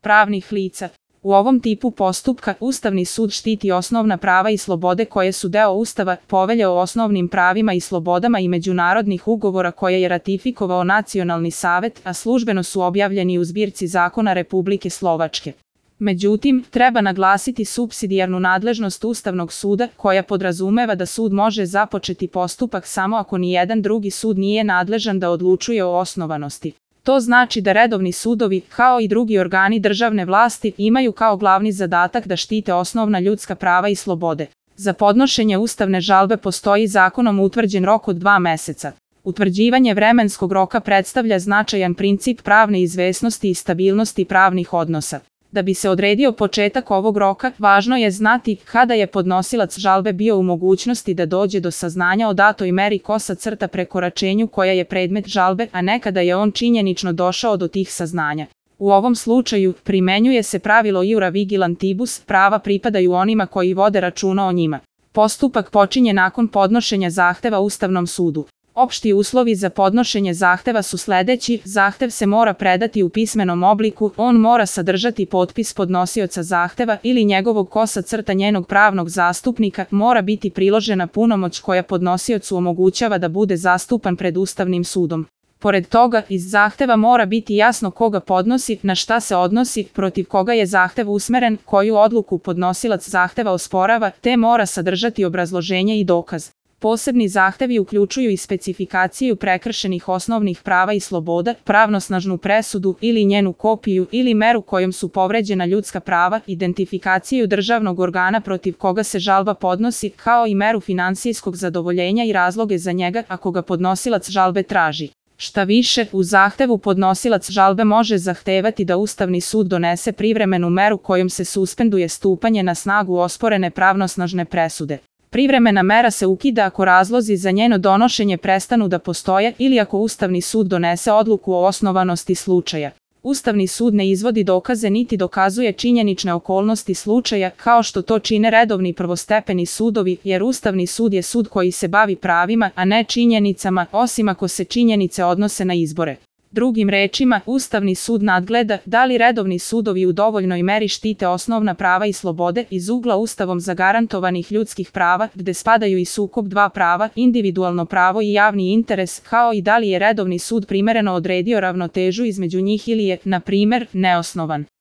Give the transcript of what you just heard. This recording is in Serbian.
pravnih lica. U ovom tipu postupka Ustavni sud štiti osnovna prava i slobode koje su deo Ustava, Povelje o osnovnim pravima i slobodama i međunarodnih ugovora koje je ratifikovao Nacionalni savet, a službeno su objavljeni u zbirci zakona Republike Slovačke. Međutim, treba naglasiti supsidijarnu nadležnost Ustavnog suda, koja podrazumeva da sud može započeti postupak samo ako nijedan drugi sud nije nadležan da odlučuje o osnovanosti. To znači da redovni sudovi, kao i drugi organi državne vlasti, imaju kao glavni zadatak da štite osnovna ljudska prava i slobode. Za podnošenje ustavne žalbe postoji zakonom utvrđen rok od 2 meseca. Utvrđivanje vremenskog roka predstavlja značajan princip pravne izvesnosti i stabilnosti pravnih odnosa. Da bi se odredio početak ovog roka, važno je znati kada je podnosilac žalbe bio u mogućnosti da dođe do saznanja o datoj meri prekoračenju koja je predmet žalbe, a ne kada je on činjenično došao do tih saznanja. U ovom slučaju primenjuje se pravilo iura vigilantibus, prava pripadaju onima koji vode računa o njima. Postupak počinje nakon podnošenja zahteva Ustavnom sudu. Opšti uslovi za podnošenje zahteva su sledeći: zahtev se mora predati u pismenom obliku, on mora sadržati potpis podnosioca zahteva ili njegovog njenog pravnog zastupnika, mora biti priložena punomoć koja podnosiocu omogućava da bude zastupan pred Ustavnim sudom. Pored toga, iz zahteva mora biti jasno koga podnosi, na šta se odnosi, protiv koga je zahtev usmeren, koju odluku podnosilac zahteva osporava, te mora sadržati obrazloženje i dokaz. Posebni zahtevi uključuju i specifikaciju prekršenih osnovnih prava i sloboda, pravnosnažnu presudu ili njenu kopiju ili meru kojom su povređena ljudska prava, identifikaciju državnog organa protiv koga se žalba podnosi, kao i meru finansijskog zadovoljenja i razloge za njega ako ga podnosilac žalbe traži. Šta više, u zahtevu podnosilac žalbe može zahtevati da Ustavni sud donese privremenu meru kojom se suspenduje stupanje na snagu osporene pravnosnažne presude. Privremena mera se ukida ako razlozi za njeno donošenje prestanu da postoje ili ako Ustavni sud donese odluku o osnovanosti slučaja. Ustavni sud ne izvodi dokaze niti dokazuje činjenične okolnosti slučaja, kao što to čine redovni prvostepeni sudovi, jer Ustavni sud je sud koji se bavi pravima, a ne činjenicama, osim ako se činjenice odnose na izbore. Drugim rečima, Ustavni sud nadgleda da li redovni sudovi u dovoljnoj meri štite osnovna prava i slobode iz ugla Ustavom zagarantovanih ljudskih prava, gde spadaju i sukob dva prava, individualno pravo i javni interes, kao i da li je redovni sud primereno odredio ravnotežu između njih ili je, na primer, neosnovan.